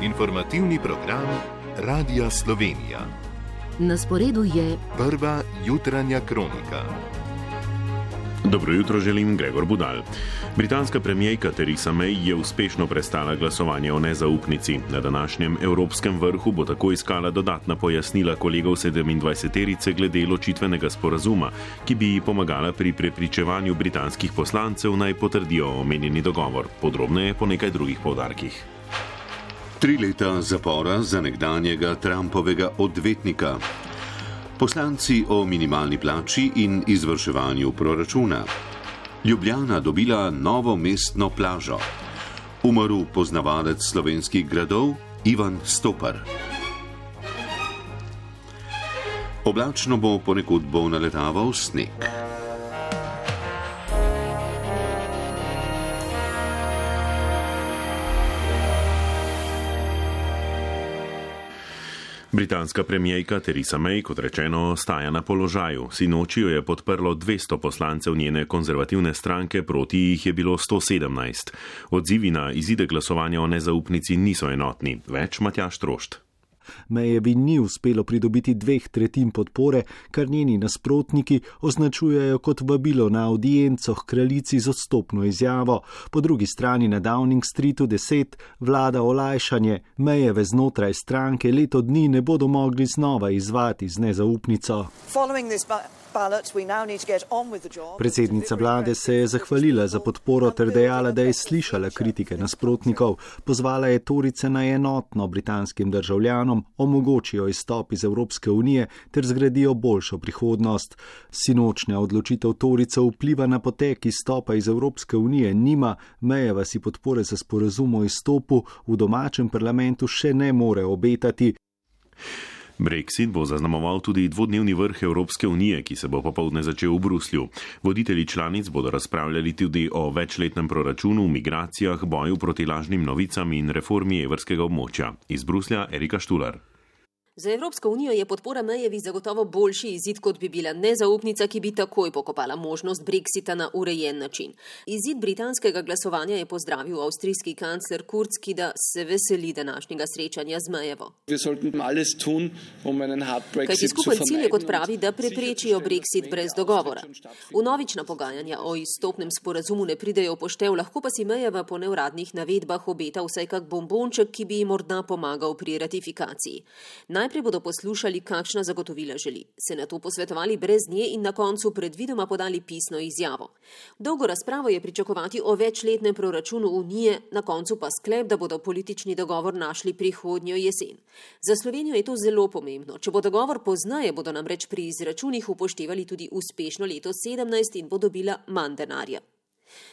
Informativni program Radia Slovenija. Na sporedu je prva jutranja kronika. Dobro jutro želim, Gregor Budal. Britanska premijerka Theresa May je uspešno prestala glasovanje o nezaupnici. Na današnjem evropskem vrhu bo tako iskala dodatna pojasnila kolegov 27-terice glede ločitvenega sporazuma, ki bi ji pomagala pri prepričevanju britanskih poslancev naj potrdijo omenjeni dogovor. Podrobneje po nekaj drugih poudarkih. 3 leta zapora za nekdanjega Trumpovega odvetnika. Poslanci o minimalni plači in izvrševanju proračuna. Ljubljana dobila novo mestno plažo. Umrl poznavalec slovenskih gradov Ivan Stopar. Oblačno bo, ponekod bo naletaval sneg. Britanska premijerka Theresa May, kot rečeno, ostaja na položaju. Sinoči jo je podprlo 200 poslancev njene konzervativne stranke, proti jih je bilo 117. Odzivi na izide glasovanja o nezaupnici niso enotni. Več Matjaž Trošt. Mayevi ni uspelo pridobiti 2/3 podpore, kar njeni nasprotniki označujejo kot vabilo na audienco h kraljici z odstopno izjavo. Po drugi strani na Downing Streetu 10 vlada olajšanje. Mayeve znotraj stranke leto dni ne bodo mogli znova izvati z nezaupnico. Predsednica vlade se je zahvalila za podporo ter dejala, da je slišala kritike nasprotnikov. Pozvala je Torijce naj enotno britanskim državljanom omogočijo izstop iz Evropske unije ter zgradijo boljšo prihodnost. Sinočnja odločitev Torijcev vpliva na potek izstopa iz Evropske unije nima. Mayeva si podpore za sporazum o izstopu v domačem parlamentu še ne more obetati. Brexit bo zaznamoval tudi dvodnevni vrh Evropske unije, ki se bo popoldne začel v Bruslju. Voditelji članic bodo razpravljali tudi o večletnem proračunu, migracijah, boju proti lažnim novicam in reformi evrskega območja. Iz Bruslja Erika Štular. Za Evropsko unijo je podpora Mayevi zagotovo boljši izid, kot bi bila nezaupnica, ki bi takoj pokopala možnost Brexita na urejen način. Izid britanskega glasovanja je pozdravil avstrijski kancler Kurz, ki da se veseli današnjega srečanja z Mayevo. Kajti skupen cilj je, kot pravi, da preprečijo Brexit brez dogovora. Vnovična pogajanja o izstopnem sporazumu ne pridejo v poštev, lahko pa si Mayeva po neuradnih navedbah obeta vsaj kak bombonček, ki bi ji morda pomagal pri ratifikaciji. Najprej bodo poslušali, kakšna zagotovila želi, se na to posvetovali brez nje in na koncu predvidoma podali pisno izjavo. Dolgo razpravo je pričakovati o večletnem proračunu Unije, na koncu pa sklep, da bodo politični dogovor našli prihodnjo jesen. Za Slovenijo je to zelo pomembno. Če bo dogovor pozneje, bodo namreč pri izračunih upoštevali tudi uspešno leto 2017 in bo dobila manj denarja.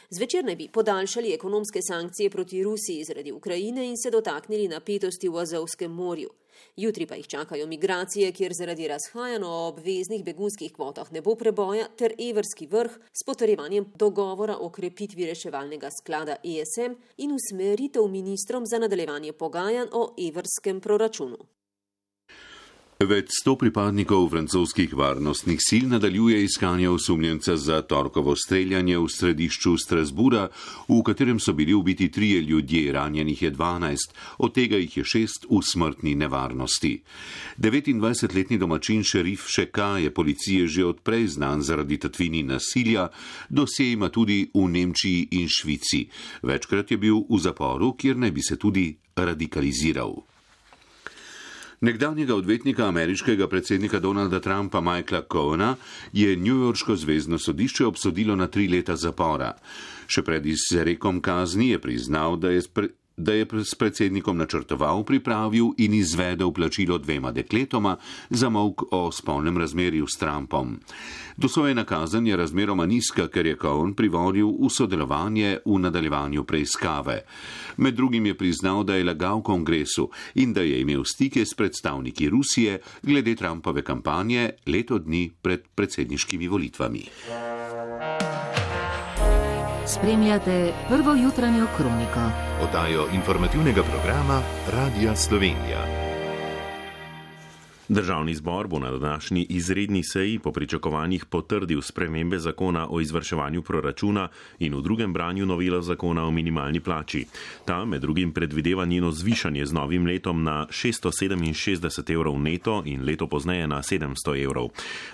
Zvečer naj bi podaljšali ekonomske sankcije proti Rusiji zaradi Ukrajine in se dotaknili napetosti v Azovskem morju. Jutri pa jih čakajo migracije, kjer zaradi razhajanj o obveznih begunskih kvotah ne bo preboja, ter evrski vrh s potrjevanjem dogovora o krepitvi reševalnega sklada ESM in usmeritev ministrom za nadaljevanje pogajanj o evrskem proračunu. Več 100 pripadnikov francoskih varnostnih sil nadaljuje iskanje osumljenca za torkovo streljanje v središču Strasbura, v katerem so bili ubiti 3 ljudje, ranjenih je 12, od tega jih je 6 v smrtni nevarnosti. 29-letni domačin šerif Šeka je policije že odprej znan zaradi tatvini nasilja, dosje ima tudi v Nemčiji in Švici. Večkrat je bil v zaporu, kjer naj bi se tudi radikaliziral. Nekdanjega odvetnika ameriškega predsednika Donalda Trumpa Michaela Cohena je newyorško zvezno sodišče obsodilo na 3 leta zapora. Še pred izrekom kazni je priznal, da je s predsednikom načrtoval, pripravil in izvedel plačilo 2 dekletoma za molk o spolnem razmerju s Trumpom. Dosojena kazen je razmeroma nizka, ker je Cohen privolil v sodelovanje v nadaljevanju preiskave. Med drugim je priznal, da je lagal kongresu in da je imel stike s predstavniki Rusije glede Trumpove kampanje leto dni pred predsedniškimi volitvami. Spremljate prvo jutranjo kroniko. Oddajo informativnega programa Radia Slovenija. Državni zbor bo na današnji izredni seji po pričakovanjih potrdil spremembe zakona o izvrševanju proračuna in v drugem branju novelo zakona o minimalni plači. Ta med drugim predvideva njeno zvišanje z novim letom na 667 evrov neto in leto pozneje na 700 evrov.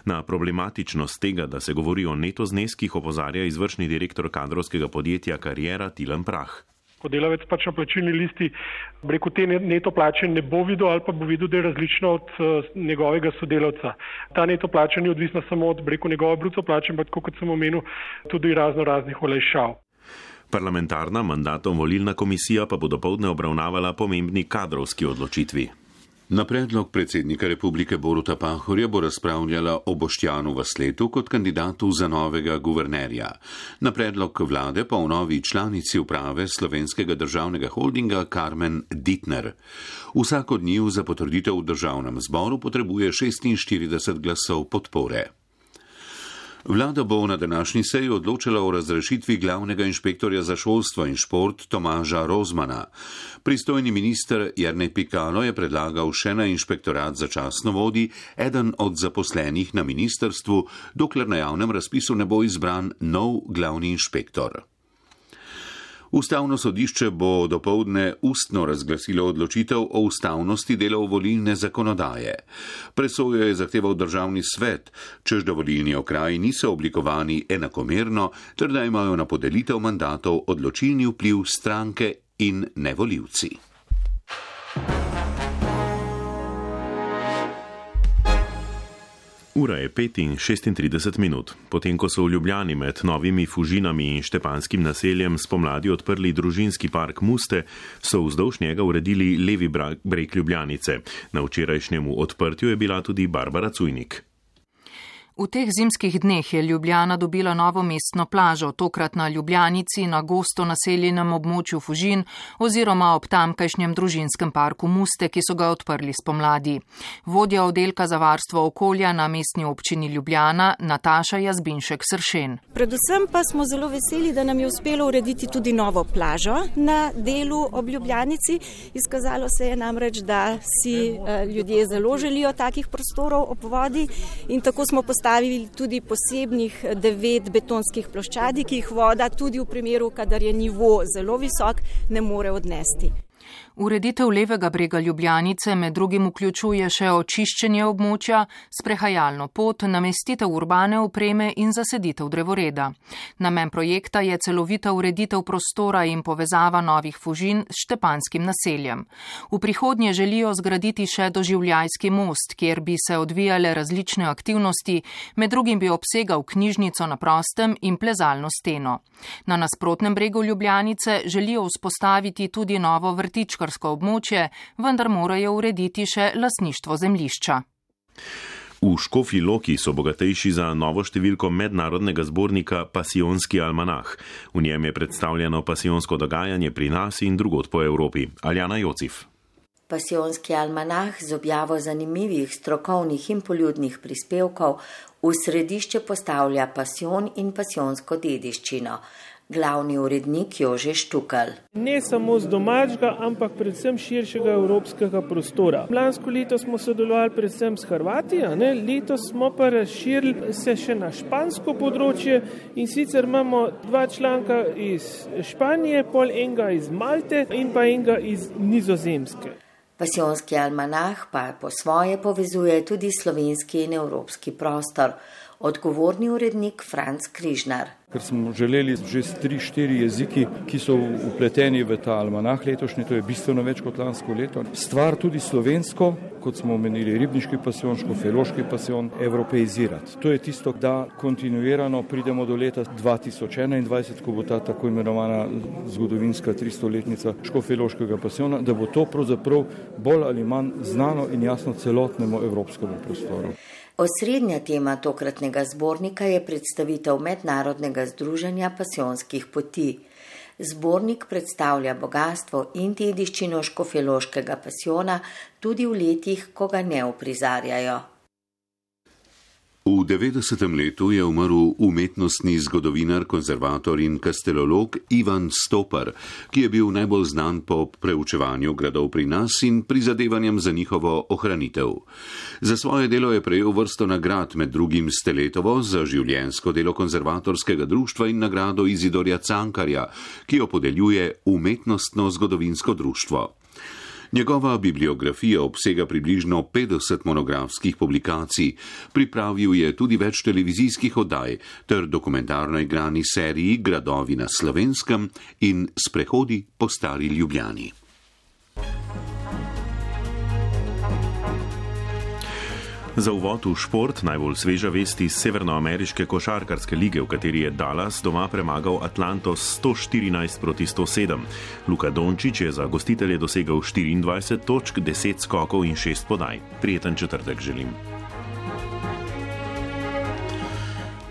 Na problematičnost tega, da se govori o neto zneskih, opozarja izvršni direktor kadrovskega podjetja Kariera Tilen Prah. Ko delavec pač na plačilni listi te neto plače ne bo videl ali pa bo videl, da je različno od njegovega sodelavca. Ta neto plača ni odvisna samo od njegove bruto plače, ampak kot sem omenil, tudi raznih olajšav. Parlamentarna mandatom-volilna komisija pa bo dopoldne obravnavala pomembni kadrovski odločitvi. Na predlog predsednika republike Boruta Pahorja bo razpravljala o Boštjanu Vasletu kot kandidatu za novega guvernerja. Na predlog vlade pa o novi članici uprave Slovenskega državnega holdinga Karmen Dittner. Vsak od njiju za potrditev v državnem zboru potrebuje 46 glasov podpore. Vlada bo na današnji seji odločila o razrešitvi glavnega inšpektorja za šolstvo in šport Tomaža Rozmana. Pristojni minister Jernej Pikalo je predlagal še na inšpektorat začasno vodi eden od zaposlenih na ministrstvu, dokler na javnem razpisu ne bo izbran nov glavni inšpektor. Ustavno sodišče bo dopoldne ustno razglasilo odločitev o ustavnosti delov volilne zakonodaje. Presojo je zahteval državni svet, čež da volilni okraji niso oblikovani enakomerno, ter da imajo na podelitev mandatov odločilni vpliv stranke in ne volivci. Ura je 5:36. Potem, ko so v Ljubljani med novimi Fužinami in Štepanskim naseljem spomladi odprli družinski park Muste, so vzdolž njega uredili levi breg Ljubljanice. Na včerajšnjemu odprtju je bila tudi Barbara Cujnik. V teh zimskih dneh je Ljubljana dobila novo mestno plažo, tokrat na Ljubljanici, na gosto naseljenem območju Fužin oziroma ob tamkajšnjem družinskem parku Muste, ki so ga odprli spomladi. Vodja oddelka za varstvo okolja na mestni občini Ljubljana, Nataša Jazbinšek-Sršen. Predvsem pa smo zelo veseli, da nam je uspelo urediti tudi novo plažo na delu ob Ljubljanici. Izkazalo se je namreč, da si ljudje zelo želijo takih prostorov ob vodi in tako smo postavili tudi posebnih 9 betonskih ploščadi, ki jih voda tudi v primeru, kadar je nivo zelo visok, ne more odnesti. Ureditev levega brega Ljubljanice med drugim vključuje še očiščenje območja, sprehajalno pot, namestitev urbane opreme in zaseditev drevoreda. Namen projekta je celovita ureditev prostora in povezava novih Fužin s Štepanskim naseljem. V prihodnje želijo zgraditi še doživljajski most, kjer bi se odvijale različne aktivnosti, med drugim bi obsegal knjižnico na prostem in plezalno steno. Na nasprotnem bregu Ljubljanice želijo vzpostaviti tudi novo vrtičkarsko območje, vendar morajo urediti še lastništvo zemljišča. V Škofji Loki so bogatejši za novo številko mednarodnega zbornika Pasijonski almanah. V njem je predstavljeno pasijonsko dogajanje pri nas in drugod po Evropi. Aljana Jocif. Pasijonski almanah z objavo zanimivih, strokovnih in poljudnih prispevkov v središče postavlja pasijon in pasijonsko dediščino. Glavni urednik Jože Štukal. Ne samo z domačega, ampak predvsem širšega evropskega prostora. Lansko leto smo sodelovali predvsem s Hrvati, letos smo pa razširili se še na špansko področje in sicer imamo 2 članka iz Španije, pol enega iz Malte in pa enega iz Nizozemske. Pasijonski almanah pa po svoje povezuje tudi slovenski in evropski prostor. Odgovorni urednik Franc Križnar. Ker smo želeli že 3-4 jeziki, ki so upleteni v ta almanah letošnji, to je bistveno več kot lansko leto. Stvar tudi slovensko, kot smo omenili, ribniški pasijon, škofjeloški pasijon, evropeizirati. To je tisto, da kontinuirano pridemo do leta 2021, ko bo ta tako imenovana zgodovinska 300-letnica škofjeloškega pasijona, da bo to pravzaprav bolj ali manj znano in jasno celotnemu evropskemu prostoru. Osrednja tema tokratnega zbornika je predstavitev mednarodnega združenja pasijonskih poti. Zbornik predstavlja bogatstvo in dediščino škofjeloškega pasijona tudi v letih, ko ga ne uprizarjajo. V 90. letu je umrl umetnostni zgodovinar, konzervator in kastelolog Ivan Stopar, ki je bil najbolj znan po preučevanju gradov pri nas in prizadevanjem za njihovo ohranitev. Za svoje delo je prejel vrsto nagrad, med drugim Steletovo za življenjsko delo konzervatorskega društva in nagrado Izidorja Cankarja, ki jo podeljuje Umetnostno zgodovinsko društvo. Njegova bibliografija obsega približno 50 monografskih publikacij, pripravil je tudi več televizijskih oddaj ter dokumentarno igrani seriji Gradovi na Slovenskem in Sprehodi po stari Ljubljani. Za uvod v šport najbolj sveža vest iz severnoameriške košarkarske lige, v kateri je Dallas doma premagal Atlanto 114-107. Luka Dončić je za gostitelje dosegel 24 točk, 10 skokov in 6 podaj. Prijeten četrtek želim.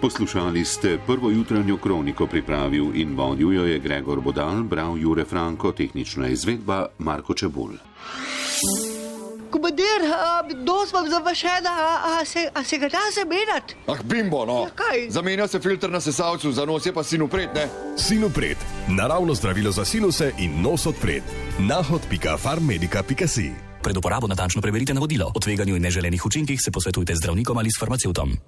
Poslušali ste prvo jutranjo kroniko, pripravil in vodil jo je Gregor Budal, bral Jure Franko, tehnična izvedba Marko Čebulj. Komandir, nos vam zavašena, a se ga da zamenjati? Bimbo, no. Ja, kaj? Zamenja se filter na sesalcu, za nos je pa Sinopret, ne? Sinopret, naravno zdravilo za sinuse in nos odpret. nahod.farmmedica.si. Pred uporabo natančno preverite navodilo. O tveganju in neželenih učinkih se posvetujte z zdravnikom ali s farmacevtom.